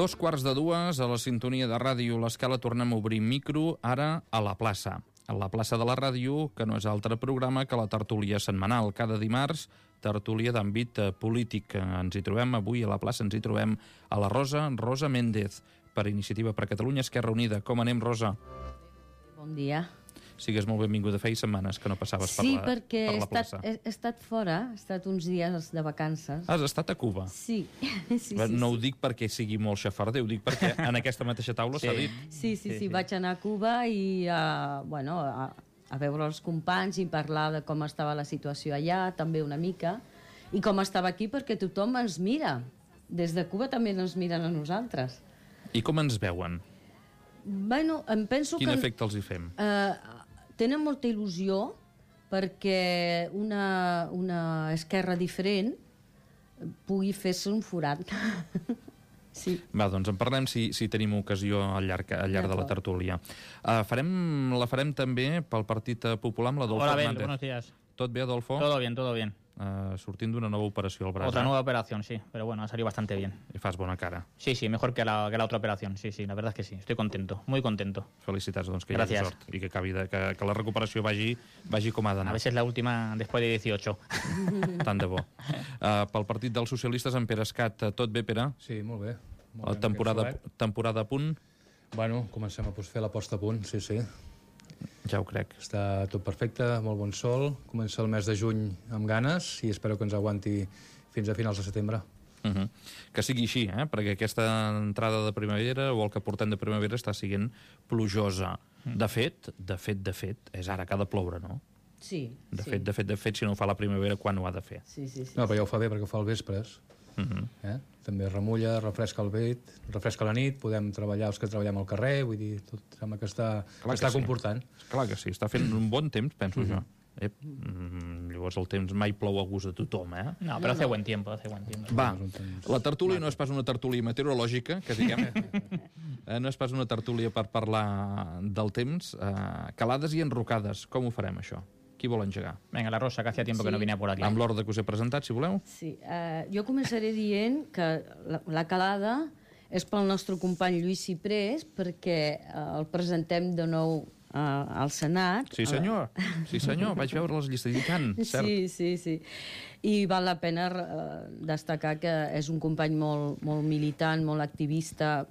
2:15 a la sintonia de ràdio L'Escala tornem a obrir micro, ara a la plaça. A la plaça de la ràdio, que no és altre programa que la tertúlia setmanal. Cada dimarts, tertúlia d'àmbit polític. Ens hi trobem avui a la plaça, ens hi trobem a la Rosa Méndez, per Iniciativa per Catalunya, Esquerra Unida. Com anem, Rosa? Bon dia. Sigues molt benvinguda. Feia setmanes que no passaves per la plaça. Sí, perquè he estat fora, he estat uns dies de vacances. Has estat a Cuba? Sí. No ho dic perquè sigui molt xafarder, ho dic perquè en aquesta mateixa taula s'ha dit. Sí, vaig anar a Cuba i a veure els companys i parlar de com estava la situació allà, també una mica, i com estava aquí, perquè tothom ens mira. Des de Cuba també ens miren a nosaltres. I com ens veuen? Bueno, em penso Quin efecte els hi fem? Tenen molta il·lusió perquè una esquerra diferent pugui fer-se un forat. Sí. Va, doncs en parlem si tenim ocasió al llarg de la tertúlia. La farem també pel Partit Popular amb l'Adolfo Hola, Hernández. buenos días. ¿Tot bé, Adolfo? Todo bien. Sortint d'una nova operació al braç. Otra nueva operación, sí, pero bueno, ha salido bastante bien. I fas bona cara. Sí, mejor que la otra operación, sí, la verdad es que sí, estoy contento, muy contento. Felicitats, doncs, que hi hagi sort i que la recuperació vagi com ha d'anar. A veces la última después de 18. Tant de bo. Pel Partit dels Socialistes, en Pere Escat, tot bé, Pere? Sí, molt bé. Temporada a punt? Bueno, comencem a fer la posta a punt, sí. Ja ho crec. Està tot perfecte, molt bon sol. Comença el mes de juny amb ganes i espero que ens aguanti fins a finals de setembre. Que sigui així, perquè aquesta entrada de primavera o el que portem de primavera està sent plujosa. De fet, és ara que ha de ploure, no? Sí. De fet, si no ho fa la primavera, quan ho ha de fer? Sí. No, però ja ho fa bé perquè ho fa al vespres. També remulla, refresca el vent, refresca la nit, podem treballar els que treballem al carrer, vull dir, tot sembla que està comportant. Clar que sí, està fent un bon temps, penso jo. Llavors el temps mai plou a gust de tothom, No, però hace buen tiempo. Va, la tertúlia no és pas una tertúlia meteorològica, que diguem, no és pas una tertúlia per parlar del temps. Calades i enrocades, com ho farem, això? Qui vol engegar? Venga, la Rosa, que hacía tiempo que no venía por aquí. Amb l'ordre que us he presentat, si voleu. Sí, jo començaré dient que la calada és pel nostre company Lluís Ciprés, perquè el presentem de nou al Senat. Sí, senyor, vaig veure les llistes i tant, cert. Sí. I val la pena destacar que és un company molt militant, molt activista,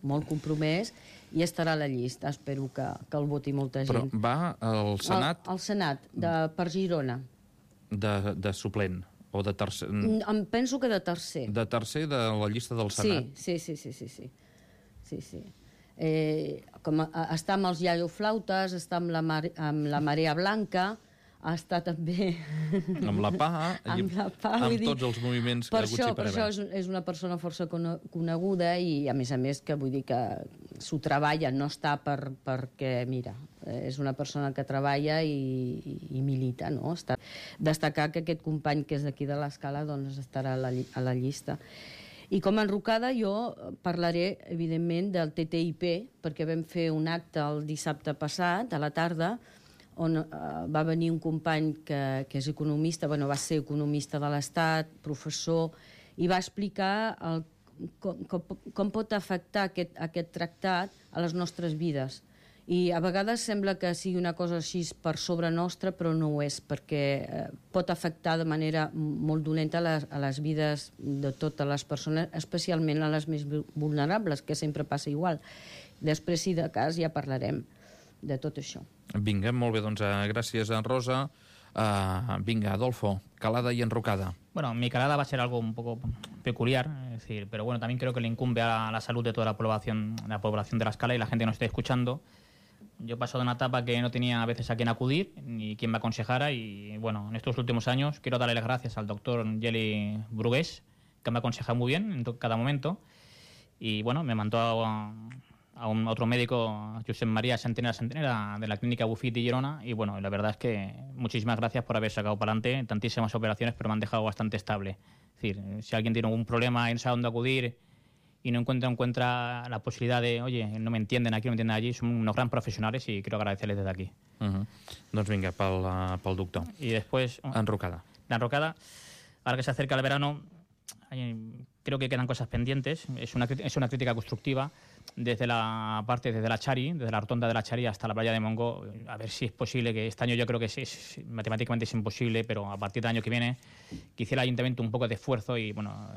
molt compromès, i estarà a la llista. Espero que el voti molta gent. Però va al Senat? Al Senat, per Girona. De suplent o de tercer? Em penso que de tercer. De tercer de la llista del Senat? Sí. Està amb els iaioflautes, està amb la Marea Blanca, està també amb la PA, amb tots els moviments que ha hagut sempre. Per això és una persona força coneguda i a més que vull dir que s'ho treballa, no està perquè, mira, és una persona que treballa i milita, no? Destacar que aquest company que és d'aquí de l'Escala doncs estarà a la llista. I com a enrocada jo parlaré, evidentment, del TTIP, perquè vam fer un acte el dissabte passat, a la tarda, on va venir un company que és economista, va ser economista de l'Estat, professor, i va explicar com pot afectar aquest tractat a les nostres vides. I a vegades sembla que sigui una cosa així per sobre nostra, però no ho és, perquè pot afectar de manera molt dolenta a les vides de totes les persones, especialment a les més vulnerables, que sempre passa igual. Després, si de cas, ja parlarem de tot això. Vinga, molt bé, doncs gràcies, Rosa. Vinga, Adolfo, calada y enrocada. Bueno, mi calada va a ser algo un poco peculiar, es decir, pero bueno, también creo que le incumbe a la salud de toda la población de la Escala y la gente que nos esté escuchando. Yo he pasado de una etapa que no tenía a veces a quién acudir ni quien me aconsejara y bueno, en estos últimos años quiero darle las gracias al doctor Yeli Brugués, que me ha aconsejado muy bien en cada momento y bueno, me mandó a otro médico, Josep María Santenera de la clínica Bufit de Girona y bueno, la verdad es que muchísimas gracias por haber sacado para adelante tantísimas operaciones, pero me han dejado bastante estable. Es decir, si alguien tiene algún problema y no sabe dónde acudir y no encuentra la posibilidad de, oye, no me entienden aquí, no me entienden allí, son unos gran profesionales y quiero agradecerles desde aquí. Doncs vinga, pel doctor. Y después... Enrocada. La enrocada, ahora que se acerca el verano, creo que quedan cosas pendientes. Es una crítica constructiva desde la Chari, desde la rotonda de la Chari hasta la playa de Montgó. A ver si es posible, que este año yo creo que matemáticamente es imposible, pero a partir del año que viene que hiciera el ayuntamiento un poco de esfuerzo y, bueno,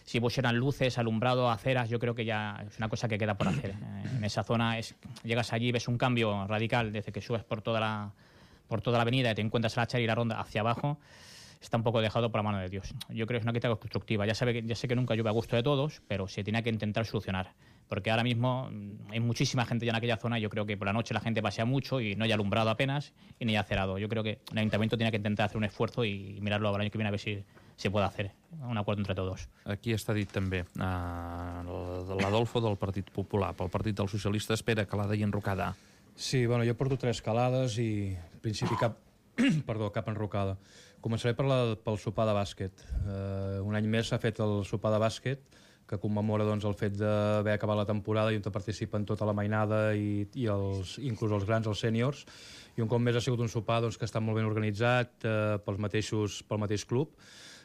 si pusieran luces, alumbrado, aceras, yo creo que ya es una cosa que queda por hacer. En esa zona llegas allí, ves un cambio radical desde que subes por toda la avenida y te encuentras a la Chari y la ronda hacia abajo. Está un poco dejado por la mano de Dios. Yo creo que es una crítica constructiva. Ya sé que nunca llueve a gusto de todos, pero se tiene que intentar solucionar. Porque ahora mismo hay muchísima gente ya en aquella zona y yo creo que por la noche la gente pasea mucho y no hay alumbrado apenas y ni hay acerado. Yo creo que el ayuntamiento tiene que intentar hacer un esfuerzo y mirarlo al año que viene a ver si se puede hacer un acuerdo entre todos. Aquí està dit també. L'Adolfo del Partit Popular, pel Partit dels Socialistes, espera calada i enrocada. Sí, bueno, jo porto 3 calades i en principi cap enrocada. Començaré pel sopar de bàsquet. Un any més s'ha fet el sopar de bàsquet, que commemora doncs, el fet d'haver acabat la temporada i on participen tota la mainada i inclús els grans, els sèniors. I un cop més ha sigut un sopar doncs, que està molt ben organitzat pel mateix club.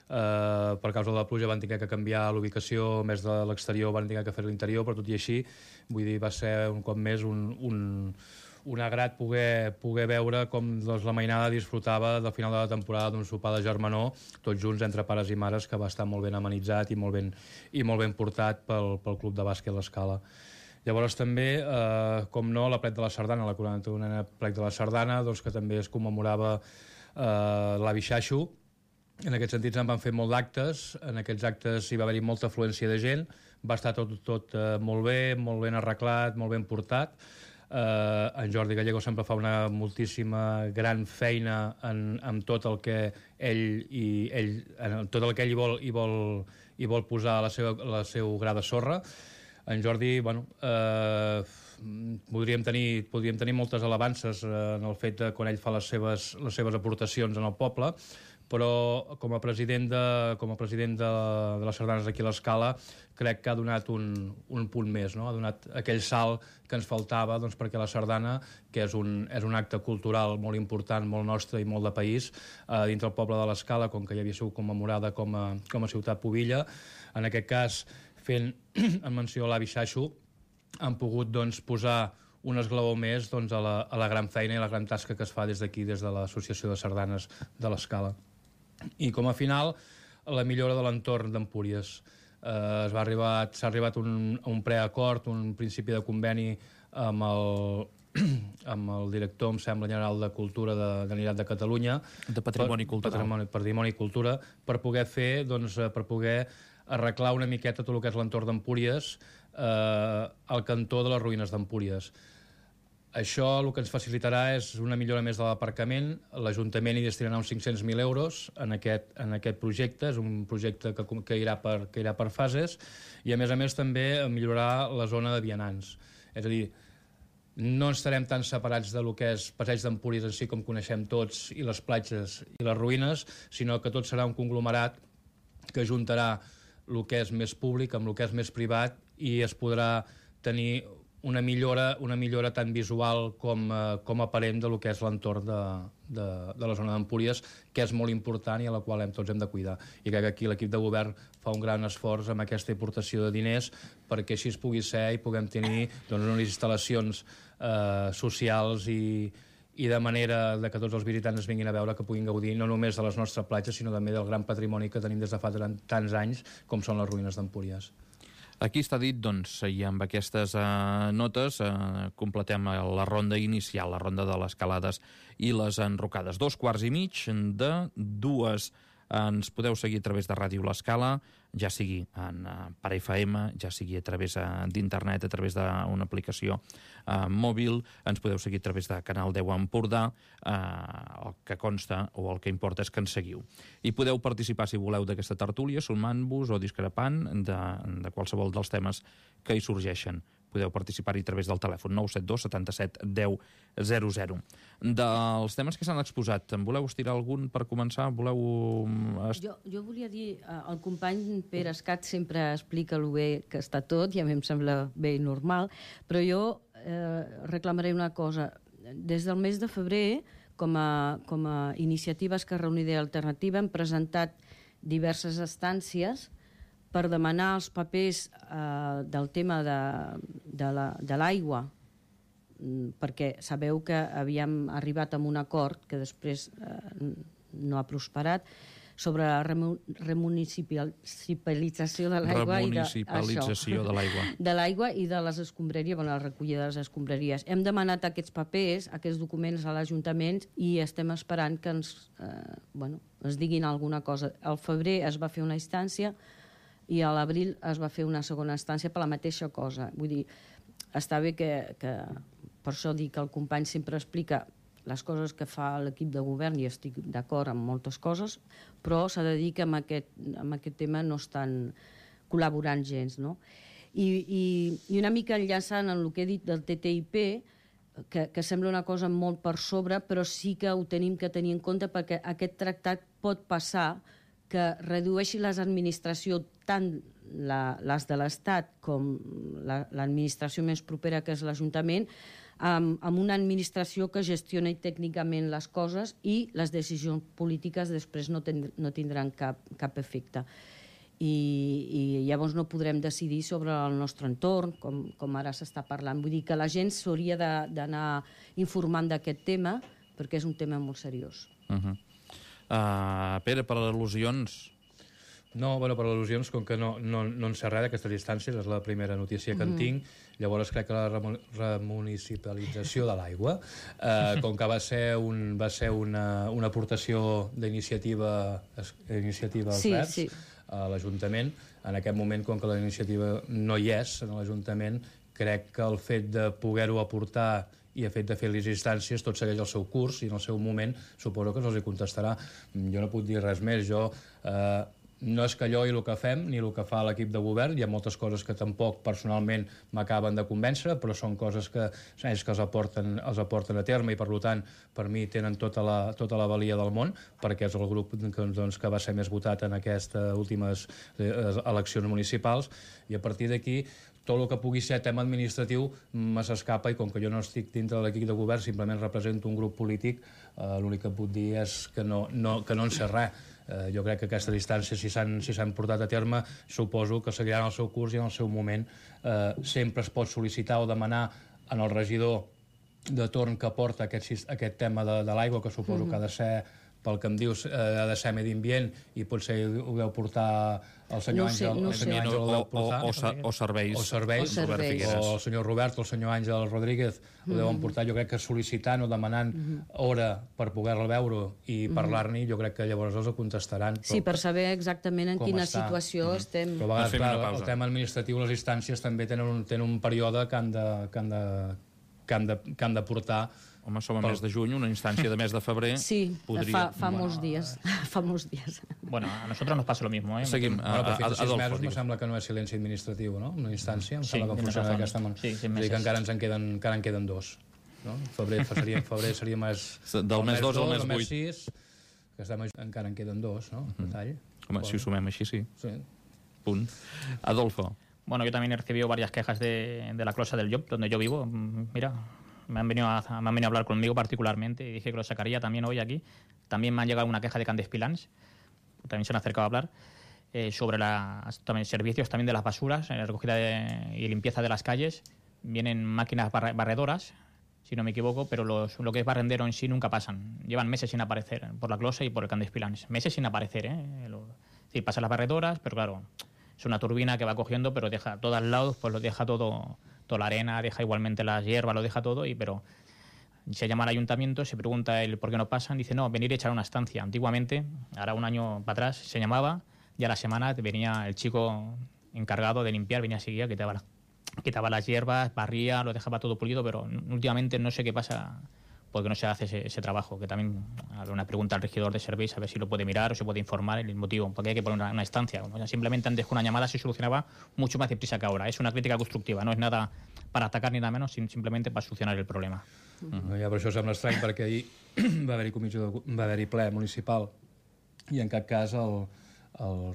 Per causa de la pluja van haver que canviar l'ubicació, més de l'exterior van haver que fer l'interior, però tot i així, vull dir, va ser un cop més un agrat poder veure com doncs, la mainada disfrutava del final de la temporada d'un sopar de germanor, tots junts entre pares i mares, que va estar molt ben amenitzat i molt ben portat pel Club de Bàsquet l'Escala. Llavors també, com no, la plec de la Sardana, la 41a plec de la Sardana, doncs, que també es commemorava l'avi Xaixo. En aquest sentit se'n van fer molt d'actes, en aquests actes hi va haver-hi molta afluència de gent, va estar tot molt ben arreglat, molt ben portat. En Jordi Gallego sempre fa una moltíssima gran feina en tot el que ell hi vol posar la seu gra de sorra. En Jordi, bueno, podríem tenir moltes alabances en el fet de quan ell fa les seves aportacions en el poble, però com a president de les sardanes aquí a l'Escala crec que ha donat un punt més, no? Ha donat aquell salt que ens faltava doncs, perquè la sardana, que és un acte cultural molt important, molt nostre i molt de país, dintre el poble de l'Escala, com que ja havia sigut commemorada com a ciutat pubilla, en aquest cas fent en menció a l'avi Xaixo, han pogut doncs, posar un esglaó més doncs, a la gran feina i la gran tasca que es fa des d'aquí, des de l'Associació de Sardanes de l'Escala. I com a final, la millora de l'entorn d'Empúries. S'ha arribat a un preacord, un principi de conveni amb el director, em sembla, general de Cultura de la Generalitat de Catalunya. De Patrimoni Cultural. Patrimoni i Cultura, per poder fer, doncs, per poder arreglar una miqueta tot el que és l'entorn d'Empúries, al cantó de les ruïnes d'Empúries. Això el que ens facilitarà és una millora més de l'aparcament. L'Ajuntament hi destinarà uns 500.000 euros en aquest projecte. És un projecte que irà per fases i, a més també, millorarà la zona de vianants. És a dir, no estarem tan separats de lo que és Passeig d'Empúries en si, com coneixem tots, i les platges i les ruïnes, sinó que tot serà un conglomerat que juntarà el que és més públic amb el que és més privat i es podrà tenir una millora tant visual com aparent de lo que és l'entorn de la zona d'Empúries, que és molt important i a la qual tots hem de cuidar. I crec que aquí l'equip de govern fa un gran esforç amb aquesta aportació de diners perquè així es pugui ser i puguem tenir doncs, unes instal·lacions socials i de manera que tots els visitants vinguin a veure, que puguin gaudir no només de les nostres platges, sinó també del gran patrimoni que tenim des de fa tants anys, com són les ruïnes d'Empúries. Aquí està dit, doncs, i amb aquestes notes completem la ronda inicial, la ronda de les calades i les enrocades. 2:15 de 2. Ens podeu seguir a través de Ràdio L'Escala, ja sigui per FM, ja sigui a través d'internet, a través d'una aplicació mòbil, ens podeu seguir a través de Canal 10 Empordà, el que consta o el que importa és que ens seguiu. I podeu participar, si voleu, d'aquesta tertúlia, sumant-vos o discrepant de qualsevol dels temes que hi sorgeixen. Podeu participar-hi a través del telèfon 972 77 10 00. Dels temes que s'han exposat, en voleu estirar algun per començar? Jo volia dir, el company Pere Escat sempre explica el bé que està tot, i a mi em sembla bé i normal, però jo reclamaré una cosa. Des del mes de febrer, com a iniciativa Esquerra Unida i Alternativa, hem presentat diverses instàncies per demanar els papers del tema de l'aigua, perquè sabeu que havíem arribat a un acord que després no ha prosperat, sobre la remunicipalització de l'aigua de l'aigua i de les escombraries, la recollida de les escombraries. Hem demanat aquests papers, aquests documents a l'Ajuntament i estem esperant que ens diguin alguna cosa. Al febrer es va fer una instància i a l'abril es va fer una segona instància per la mateixa cosa. Vull dir, està bé que per això dic que el company sempre explica les coses que fa l'equip de govern, i estic d'acord amb moltes coses, però s'ha de dir que amb aquest tema no estan col·laborant gens, no? I una mica enllaçant en el que he dit del TTIP, que sembla una cosa molt per sobre, però sí que ho tenim que tenir en compte perquè aquest tractat pot passar que redueixi les administracions, tant les de l'Estat com l'administració més propera, que és l'Ajuntament, amb una administració que gestioni tècnicament les coses i les decisions polítiques després no tindran cap efecte. I llavors no podrem decidir sobre el nostre entorn, com ara s'està parlant. Vull dir que la gent s'hauria d'anar informant d'aquest tema, perquè és un tema molt seriós. Pere, per al·lusions... No, per al·lusions, com que no en sé res d'aquestes distàncies, és la primera notícia que en tinc, llavors crec que la remunicipalització de l'aigua, com que va ser una aportació d'iniciativa Verds a l'Ajuntament, en aquest moment, com que la iniciativa no hi és a l'Ajuntament, crec que el fet de poder-ho aportar i el fet de fer les instàncies tot segueix el seu curs i en el seu moment suposo que se'ls contestarà. Jo no puc dir res més, no és que allò i el que fem, ni el que fa l'equip de govern, hi ha moltes coses que tampoc personalment m'acaben de convèncer, però són coses que ells que els aporten a terme i per tant per mi tenen tota la valia del món, perquè és el grup que va ser més votat en aquestes últimes eleccions municipals, i a partir d'aquí tot el que pugui ser tema administratiu me s'escapa, i com que jo no estic dintre de l'equip de govern, simplement represento un grup polític, l'únic que puc dir és que no en sé res. Jo crec que aquestes distàncies, si s'han portat a terme, suposo que seguiran el seu curs i en el seu moment sempre es pot sol·licitar o demanar en el regidor de torn que porta aquest tema de l'aigua, que suposo que ha de ser, pel que em dius, ha de ser medi ambient, i potser ho deu portar el senyor Àngel, o serveis, o el senyor Robert o el senyor Àngel Rodríguez ho deuen portar. Jo crec que sol·licitant o demanant hora per poder-la veure i parlar-ne, jo crec que llavors els ho contestaran. Sí, per saber exactament en quina situació estem. Però a vegades, clar, el tema administratiu, les instàncies també tenen un període que han de portar. Home, som a mes de juny, una instància de mes de febrer... Sí, fa molts dies. Fa molts dies. Bueno, a nosotros nos pasa lo mismo, ¿eh? Seguim. Però fins a 6 mesos me sembla que no és silenci administratiu, no? Una instància, em sembla que funciona d'aquesta manera. Sí, 6 mesos. És a dir, que encara en queden 2. No? Febrer seria més... Del mes 2 al mes 8. 6, encara en queden 2, no? Home, si ho sumem així, sí. Sí. Punt. Adolfo. Bueno, yo también he recibido varias quejas de la closa del Job, donde yo vivo. Mira, me han venido a hablar conmigo particularmente y dije que lo sacaría también hoy aquí. También me han llegado una queja de Candespilans, también se han acercado a hablar, sobre también servicios también de las basuras, recogida y limpieza de las calles. Vienen máquinas barredoras, si no me equivoco, pero lo que es barrendero en sí nunca pasan. Llevan meses sin aparecer por la closa y por el Candespilans. Meses sin aparecer, sí, pasan las barredoras, pero claro, es una turbina que va cogiendo, pero deja a todos lados, pues lo deja toda la arena, deja igualmente las hierbas, lo deja todo, pero se llama al ayuntamiento, se pregunta el por qué no pasan, dice no, venir a echar una estancia. Antiguamente, ahora un año para atrás, se llamaba, y a la semana venía el chico encargado de limpiar, venía a seguir, quitaba las hierbas, barría, lo dejaba todo pulido, pero últimamente no sé qué pasa, porque no se hace ese trabajo, que también habrá una pregunta al regidor de servicios a ver si lo puede mirar o se puede informar el motivo, porque hay que poner una estancia. O sea, simplemente antes con una llamada se solucionaba mucho más deprisa que ahora. Es una crítica constructiva, no es nada para atacar ni nada menos, simplemente para solucionar el problema. Ja, per això sembla estrany, perquè ahir va haver-hi ple municipal i en cap cas el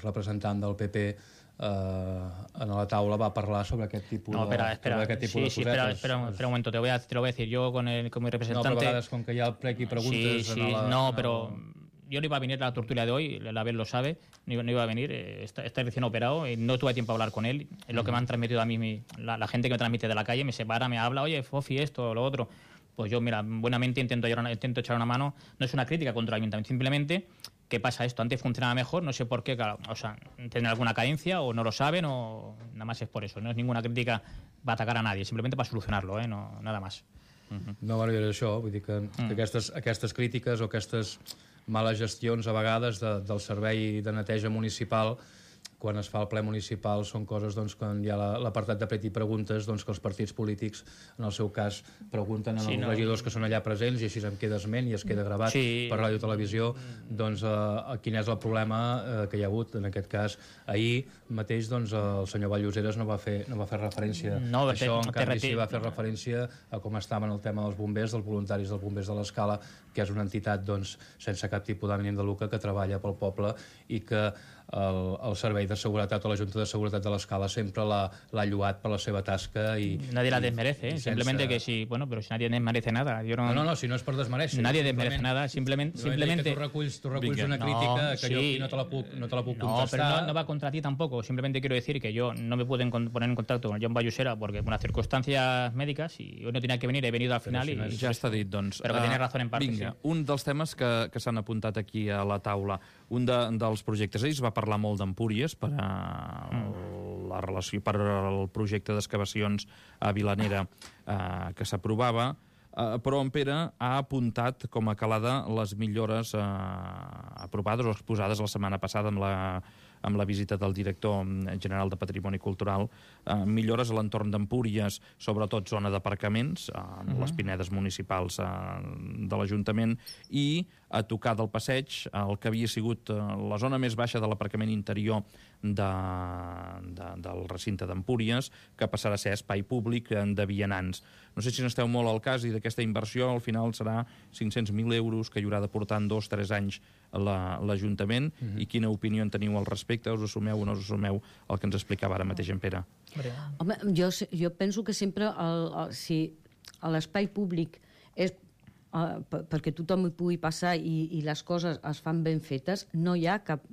representant del PP en la taula va parlar sobre aquest tipus de cosetes. Espera un momento, te lo voy a decir. Yo con mi representante... No, però a vegades, com que hi ha el plec i preguntes... pero yo no iba a venir a la tertulia de hoy, la Abel lo sabe, no iba a venir, está recién operado, y no tuve tiempo a hablar con él. Es lo que me han transmitido a mí, la gente que me transmite de la calle, me separa, me habla, oye, Fofi, esto, lo otro. Pues yo, mira, buenamente intento echar una mano. No es una crítica contra el ayuntamiento, simplemente que pasa esto. Antes funcionaba mejor, no sé por qué, claro, o sea, tienen alguna carencia o no lo saben o nada más es por eso. No es ninguna crítica para atacar a nadie, simplemente para solucionarlo, no, nada más. No, bueno, és això, vull dir que aquestes crítiques o aquestes males gestions a vegades del servei de neteja municipal, quan es fa el ple municipal, són coses, doncs, quan hi ha l'apartat de pret i preguntes, doncs, que els partits polítics, en el seu cas, pregunten als regidors que són allà presents i així em queda esment i es queda gravat per ràdio i televisió, doncs, quin és el problema que hi ha hagut. En aquest cas, ahir mateix, doncs, el senyor Valloseras no va fer referència a això, en canvi sí va fer referència a com estaven el tema dels bombers, dels voluntaris dels bombers de l'Escala, que és una entitat, doncs, sense cap tipus d'ànim de lucre, que treballa pel poble i que el servei de seguretat o la Junta de Seguretat de l'Escala sempre l'ha lloat per la seva tasca i nadie la desmerece, simplemente que si, bueno, pero si nadie desmerece nada, yo no... No, si no és per desmereixer. Nadie desmerece nada, simplemente tu reculls una crítica que yo aquí no te la puc contestar. No, pero no va contra ti tampoco, simplemente quiero decir que yo no me pude poner en contacto con John Vallusera porque por unas circunstancias médicas y hoy no tenía que venir, he venido al final i ja està dit, doncs. Però que tenia raó en part. Vinga, sí. Un dels temes que s'han apuntat aquí a la taula, un dels projectes, ells va parlar molt d'Empúries per la relació, per el projecte d'excavacions a Vilanera que s'aprovava, però en Pere ha apuntat com a calada les millores aprovades o exposades la setmana passada amb la visita del director general de Patrimoni Cultural, millores a l'entorn d'Empúries, sobretot zona d'aparcaments, les pinedes municipals de l'Ajuntament, i a tocar del passeig el que havia sigut la zona més baixa de l'aparcament interior del recinte d'Empúries, que passarà a ser espai públic de vianants. No sé si n'esteu molt al cas i d'aquesta inversió al final serà 500.000 euros que hi haurà de portar en 2-3 anys l'Ajuntament, i quina opinió en teniu al respecte? Us assumeu o no us assumeu el que ens explicava ara mateix en Pere? Home, jo penso que sempre si l'espai públic és perquè tothom hi pugui passar i les coses es fan ben fetes, no hi ha cap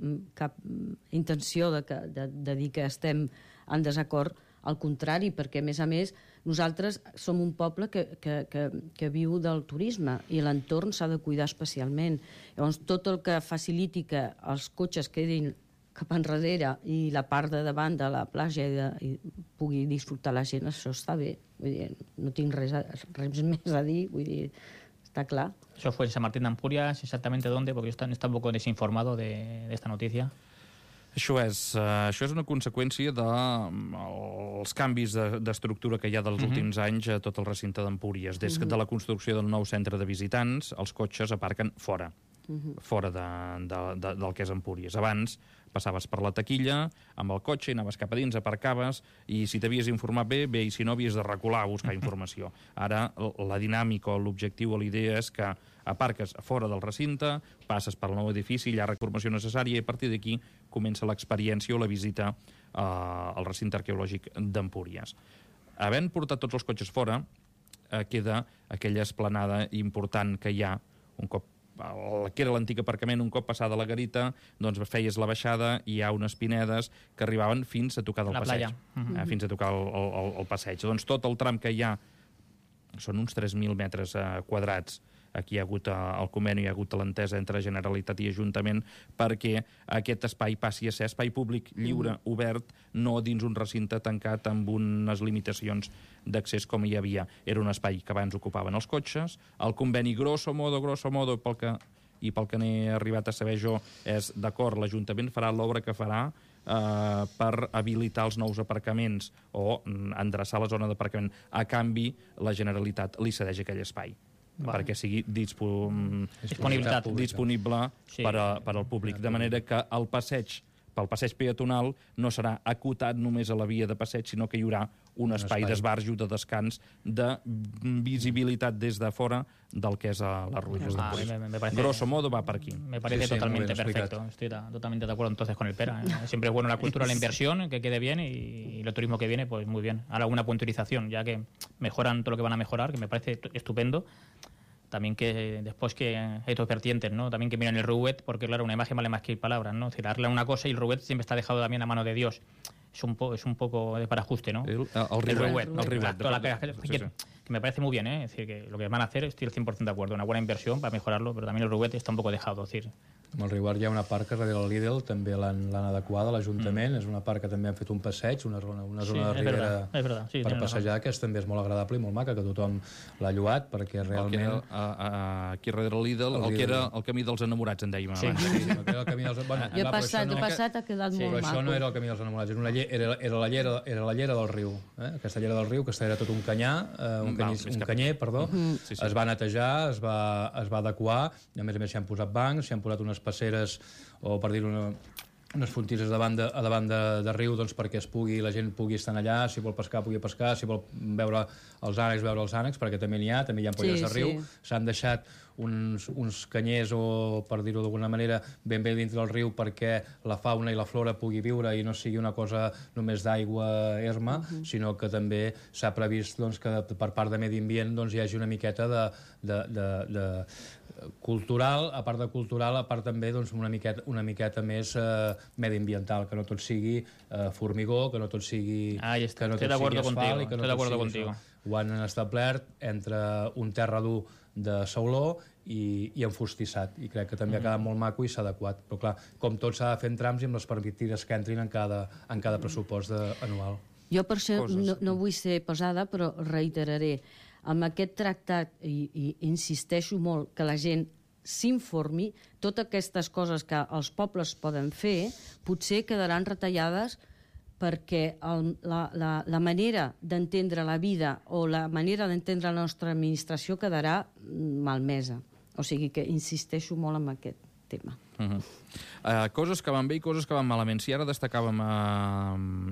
intenció de dir que estem en desacord, al contrari, perquè a més nosaltres som un poble que viu del turisme i l'entorn s'ha de cuidar especialment. Llavors tot el que faciliti que els cotxes quedin cap enrere i la part de davant de la platja i pugui disfrutar la gent, això està bé. Vull dir, no tinc res més a dir, vull dir, está claro. Eso fue en San Martín de Empúries, exactamente dónde, porque yo está un poco desinformado de esta noticia. Això és una conseqüència dels canvis d'estructura que hi ha dels últims anys a tot el recinte d'Empúries. Des de la construcció del nou centre de visitants, els cotxes aparquen fora del que és Empúries. Abans passaves per la taquilla amb el cotxe i anaves cap a dins, aparcaves, i si t'havies informat bé, i si no havies de recular a buscar informació. Ara la dinàmica o l'objectiu o l'idea és que aparques fora del recinte, passes per el nou edifici, hi ha informació necessària i a partir d'aquí comença l'experiència o la visita al recinte arqueològic d'Empúries. Havent portat tots els cotxes fora, queda aquella esplanada important que hi ha un cop que era l'antic aparcament, un cop passada la garita, doncs feies la baixada i hi ha unes pinedes que arribaven fins a tocar del passeig. Fins a tocar el passeig. Doncs tot el tram que hi ha són uns 3.000 metres quadrats. Aquí hi ha hagut el conveni, hi ha hagut l'entesa entre Generalitat i Ajuntament perquè aquest espai passi a ser espai públic lliure, obert, no dins un recinte tancat amb unes limitacions d'accés com hi havia. Era un espai que abans ocupaven els cotxes, el conveni grosso modo, pel que n'he arribat a saber jo, és d'acord, l'Ajuntament farà l'obra que farà per habilitar els nous aparcaments o endreçar la zona d'aparcament. A canvi, la Generalitat li cedeix aquell espai perquè sigui disponible per al públic, de manera que el passeig pel passeig peatonal no serà acotat només a la via de passeig, sinó que hi haurà un espai d'esbarjo, de descans, de visibilitat des de fora del que és les ruïnes d'Empúries. Grosso modo va per aquí. Me parece totalmente perfecto. Estoy totalmente de acuerdo entonces con el Pera. Siempre es bueno la cultura, la inversión, que quede bien, y el turismo que viene, pues muy bien. Ahora una puntualización, ya que mejoran todo lo que van a mejorar, que me parece estupendo. también que después que hay otros vertientes, ¿no? También que miran el Ruet, porque claro, una imagen vale más que palabras, ¿no? Es decir, arreglar una cosa y el Ruet siempre está dejado también a mano de Dios. Es un poco de parajuste, ¿no? El Riuet. Sí. Que me parece muy bien, ¿eh? Es decir, que lo que van a hacer estoy al 100% de acuerdo. Una buena inversión para mejorarlo, pero también el Riuet està un poc dejado. Es decir, Amb el Riuet hi ha una part que darrere del Lidl també l'han adequada, l'Ajuntament. És una part que també han fet un passeig, una zona de ribera per passejar, que també és molt agradable i molt maca, que tothom l'ha lloat, perquè realment... Aquí darrere el Lidl, el que era el camí dels enamorats, en dèiem abans. Sí, el que era el camí dels... Jo he passat, ha quedat molt maco. Però això no era el camí dels enamorats, era la llera del riu. Aquesta llera del riu, que era tot un canyer, es va netejar, es va adequar, i a més s'hi han posat bancs, s'hi han posat unes passeres, o per dir-ho, unes fontisses davant de riu, doncs, perquè la gent pugui estar allà, si vol pescar pugui pescar, si vol veure els ànecs, perquè també n'hi ha ampolles de riu. S'han deixat uns canyers, o per dir-ho d'alguna manera, ben bé dintre del riu, perquè la fauna i la flora pugui viure i no sigui una cosa només d'aigua erma, sinó que també s'ha previst que per part de Medi Ambient hi hagi una miqueta de cultural, a part de cultural, a part també una miqueta més mediambiental, que no tot sigui formigó, que no tot sigui asfalt, i que no tot sigui això. Ho han establert entre un terra dur de sauló i enfostissat, i crec que també ha quedat molt maco i s'ha adequat, però clar, com tot s'ha de fer en trams i amb les partides que entrin en cada pressupost anual. Jo per això no vull ser pesada, però reiteraré, amb aquest tractat, i insisteixo molt, que la gent s'informi, totes aquestes coses que els pobles poden fer, potser quedaran retallades perquè la manera d'entendre la vida o la manera d'entendre la nostra administració quedarà malmesa. O sigui que insisteixo molt en aquest tema. Coses que van bé i coses que van malament. Si ara destacàvem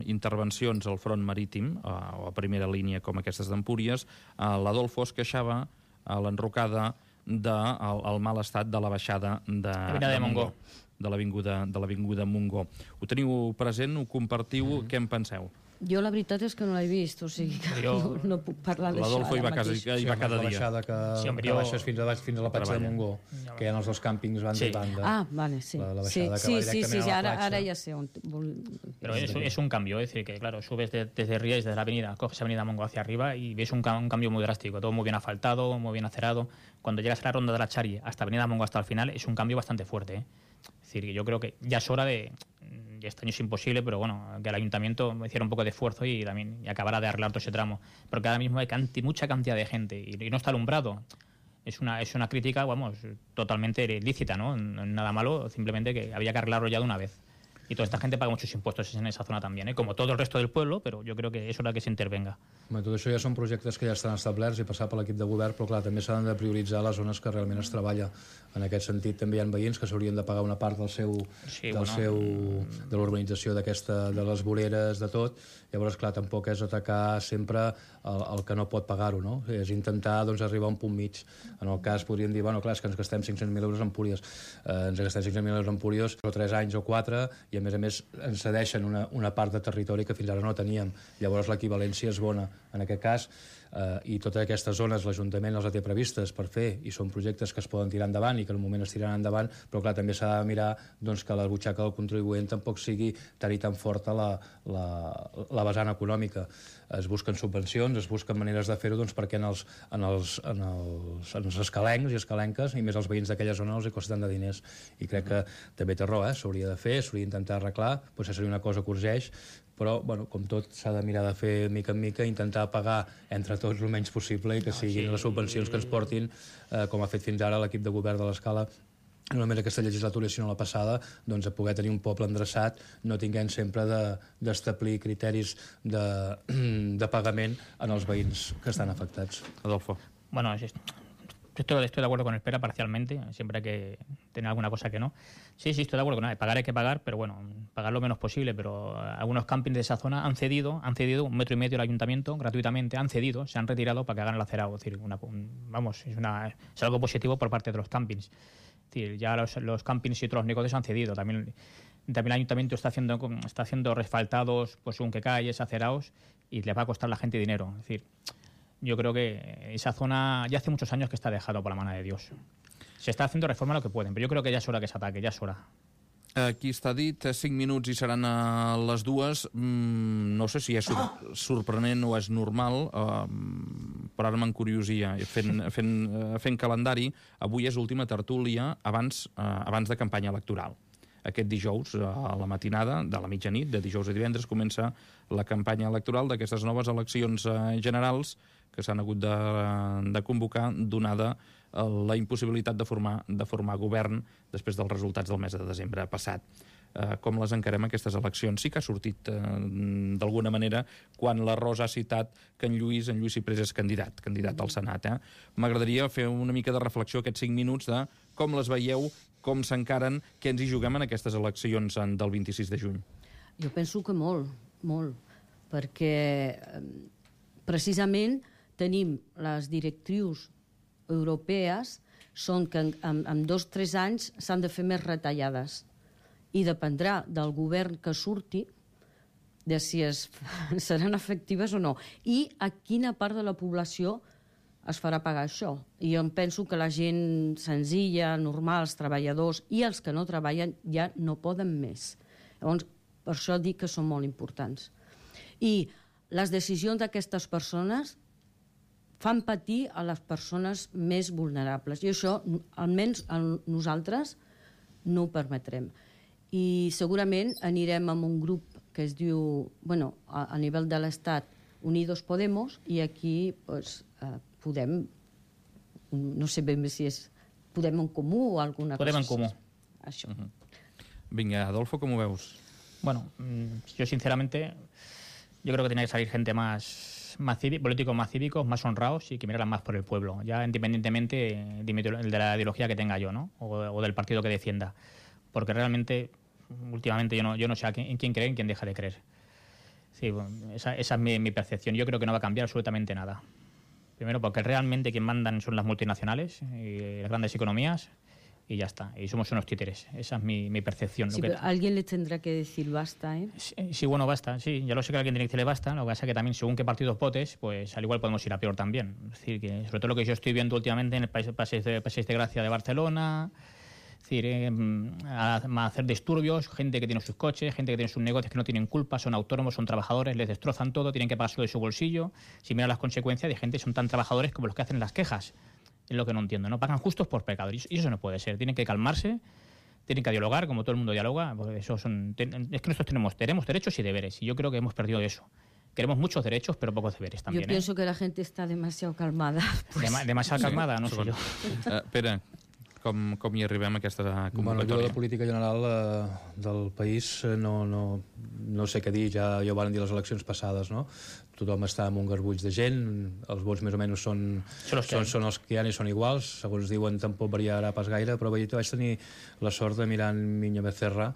intervencions al front marítim, o a primera línia com aquestes d'Empúries, l'Adolfo es queixava a l'enrocada del mal estat de la baixada de Montgó, de l'avinguda Montgó. Ho teniu present, ho compartiu, què en penseu? Jo la veritat és que no l'he vist, o sigui que no puc parlar d'això. L'Adolfo hi va cada dia. La baixada que baixes fins a la platja de Montgó, que hi ha els dos càmpings banda i banda. Ah, vale, sí. La baixada que va directament a la platja. Ara ya sé on... Pero es un cambio, es decir, que claro, subes desde Rías, desde la avenida, coges avenida Montgó hacia arriba y ves un cambio muy drástico, todo muy bien asfaltado, muy bien acerado. Cuando llegas a la ronda de la Chari hasta avenida Montgó hasta el final, es un cambio bastante fuerte, ¿eh? Es decir, yo creo que ya es hora de... Este año es imposible, pero bueno, que el ayuntamiento hiciera un poco de esfuerzo y también acabara de arreglar todo ese tramo. Porque ahora mismo hay mucha cantidad de gente y no está alumbrado. Es una crítica, vamos, totalmente lícita, ¿no? Nada malo, simplemente que había que arreglarlo ya de una vez. Y toda esta gente paga muchos impuestos en esa zona también, como todo el resto del pueblo, però jo crec que és hora que s'intervenga. Tot això ja són projectes que ja estan establerts i passar per l'equip de govern, però clar, també s'han de prioritzar les zones que realment es treballa. En aquest sentit també hi ha veïns que s'haurien de pagar una part de l'urbanització de les voreres, de tot. Llavors, clar, tampoc és atacar sempre el que no pot pagar-ho, no? És intentar arribar a un punt mig. En el cas podríem dir, bueno, clar, és que ens gastem 500.000 euros en Empúries. Ens gastem 500.000 euros en Empúries, però 3 anys o 4, i a més ens cedeixen una part de territori que fins ara no teníem. Llavors l'equivalència és bona. En aquest cas, i totes aquestes zones l'Ajuntament les té previstes per fer, i són projectes que es poden tirar endavant i que en un moment es tiraran endavant, però clar, també s'ha de mirar que la butxaca del contribuent tampoc sigui tan i tan forta la vessant econòmica. Es busquen subvencions, es busquen maneres de fer-ho perquè en els escalencs i escalenques, i més els veïns d'aquella zona, els hi costen de diners. I crec que també té raó, s'hauria de fer, s'hauria d'intentar arreglar, potser seria una cosa que urgeix, però, com tot, s'ha de mirar de fer mica en mica, intentar pagar entre tots el menys possible i que siguin les subvencions que ens portin, com ha fet fins ara l'equip de govern de l'Escala, no només aquesta legislatura sinó la passada, a poder tenir un poble endreçat, no tinguent sempre d'establir criteris de pagament en els veïns que estan afectats. Adolfo. Bueno, estoy de acuerdo con el Pera parcialmente, siempre hay que tener alguna cosa que no. Sí, estoy de acuerdo con él. Pagar hay que pagar, pero bueno, pagar lo menos posible. Pero algunos campings de esa zona han cedido 1,5 metros al ayuntamiento gratuitamente, se han retirado para que hagan el acerado. Es decir, es algo positivo por parte de los campings. Es decir, ya los campings y otros negocios han cedido. También el ayuntamiento está haciendo resfaltados, pues según qué calles, acerados, y le va a costar a la gente dinero. Es decir, yo creo que esa zona ya hace muchos años que está dejado por la mano de Dios. Se está haciendo reforma lo que pueden, pero yo creo que ya es hora que se ataque, ya es hora. Aquí està dit, 5 minuts i seran a les 2. No sé si és sorprenent o és normal, però ara m'encuriosia. Fent calendari, avui és l'última tertúlia abans de campanya electoral. Aquest dijous, a la matinada, de la mitjanit, de dijous a divendres, comença la campanya electoral d'aquestes noves eleccions generals que s'han hagut de convocar, donada la impossibilitat de formar govern després dels resultats del mes de desembre passat. Com les encarem, aquestes eleccions? Sí que ha sortit d'alguna manera quan la Rosa ha citat que en Lluís Ciprés és candidat al Senat. M'agradaria fer una mica de reflexió aquests 5 minuts de com les veieu, com s'encaren, què ens hi juguem en aquestes eleccions del 26 de juny. Jo penso que molt, perquè precisament tenim les directrius europees són que en 2 o 3 anys s'han de fer més retallades i dependrà del govern que surti de si seran efectives o no i a quina part de la població es farà pagar això. I jo penso que la gent senzilla, normal, els treballadors i els que no treballen ja no poden més. Llavors, per això dic que són molt importants. I les decisions d'aquestes persones fan patir a les persones més vulnerables. I això, almenys nosaltres, no ho permetrem. I segurament anirem amb un grup que es diu, a nivell de l'Estat, Unidos Podemos, i aquí podem, no sé ben bé si és Podem en Comú o alguna cosa. Podem en Comú. Això. Vinga, Adolfo, com ho veus? Bueno, yo sinceramente, yo creo que tiene que salir gente políticos más cívicos, más honrados y que miraran más por el pueblo, ya independientemente de la ideología que tenga yo, ¿no? O del partido que defienda. Porque realmente, últimamente, yo no sé en quién cree y en quién deja de creer. Sí, esa es mi percepción. Yo creo que no va a cambiar absolutamente nada. Primero, porque realmente quien mandan son las multinacionales y las grandes economías, y ya está. Y somos unos títeres. Esa es mi percepción. Sí, pero alguien le tendrá que decir basta, ¿eh? Sí, bueno, basta. Sí, ya lo sé que alguien tiene que decirle basta. Lo que pasa es que también, según qué partidos votes, pues al igual podemos ir a peor también. Es decir, que sobre todo lo que yo estoy viendo últimamente en el Passeig de Gracia de Barcelona, es decir, a hacer disturbios, gente que tiene sus coches, gente que tiene sus negocios que no tienen culpa, son autónomos, son trabajadores, les destrozan todo, tienen que pagárselo de su bolsillo. Si miran las consecuencias de gente, son tan trabajadores como los que hacen las quejas. Es lo que no entiendo, ¿no? Pagan justos por pecadores. Y eso no puede ser. Tienen que calmarse, tienen que dialogar, como todo el mundo dialoga. Porque es que nosotros tenemos derechos y deberes. Y yo creo que hemos perdido eso. Queremos muchos derechos, pero pocos deberes también. Yo pienso que la gente está demasiado calmada. Pues. Demasiado calmada, no sé yo. Pere, com hi arribem a aquesta convocatòria? Jo de la política general del país no sé què dir, ja ho van dir les eleccions passades, no? Tothom està amb un garbuix de gent, els vots més o menys són els que hi ha i són iguals, segons diuen tampoc variarà pas gaire, però vaig tenir la sort de mirar en Miño Becerra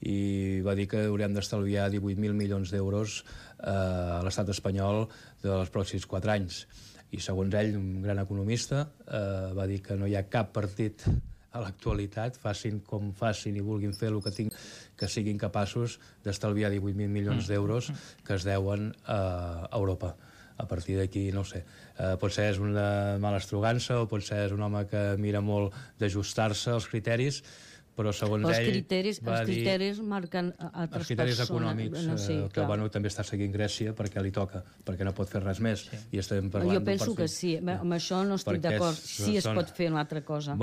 i va dir que hauríem d'estalviar 18.000 milions d'euros a l'estat espanyol dels pròxims 4 anys. I segons ell, un gran economista, va dir que no hi ha cap partit a l'actualitat, facin com facin i vulguin fer el que siguin capaços d'estalviar 18.000 milions d'euros que es deuen a Europa. A partir d'aquí, no ho sé, potser és una mala estrugança o potser és un home que mira molt d'ajustar-se als criteris, però segons ell els criteris marquen altres persones. Els criteris econòmics, que també està seguint Grècia perquè li toca, perquè no pot fer res més. I estem parlant jo penso que sí, amb això no estic d'acord. Sí es pot fer una altra cosa.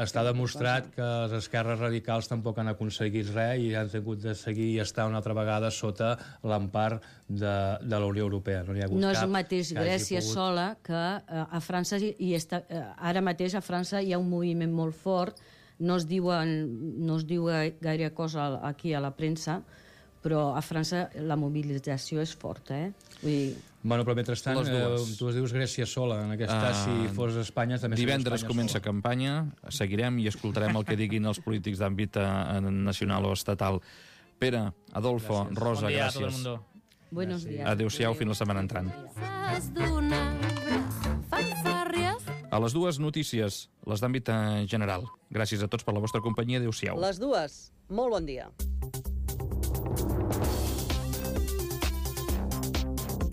Està demostrat que les esquerres radicals tampoc han aconseguit res i han hagut de seguir i estar una altra vegada sota l'empar de la Unió Europea. No és el mateix Grècia sola que a França, ara mateix a França hi ha un moviment molt fort. No es diu gaire cosa aquí a la premsa, però a França la mobilització és forta, Vull dir... Però mentrestant, tu es dius Grècia sola, en aquest cas, si fos Espanya, també seria Espanya sola. Divendres comença campanya, seguirem i escoltarem el que diguin els polítics d'àmbit nacional o estatal. Pere, Adolfo, Rosa, gràcies. Bon dia a tot el mundo. Buenos días. Adéu-siau, fins la setmana entrant. A les 2 notícies, les d'àmbit general. Gràcies a tots per la vostra companyia. Adéu-siau. Les 2. Molt bon dia.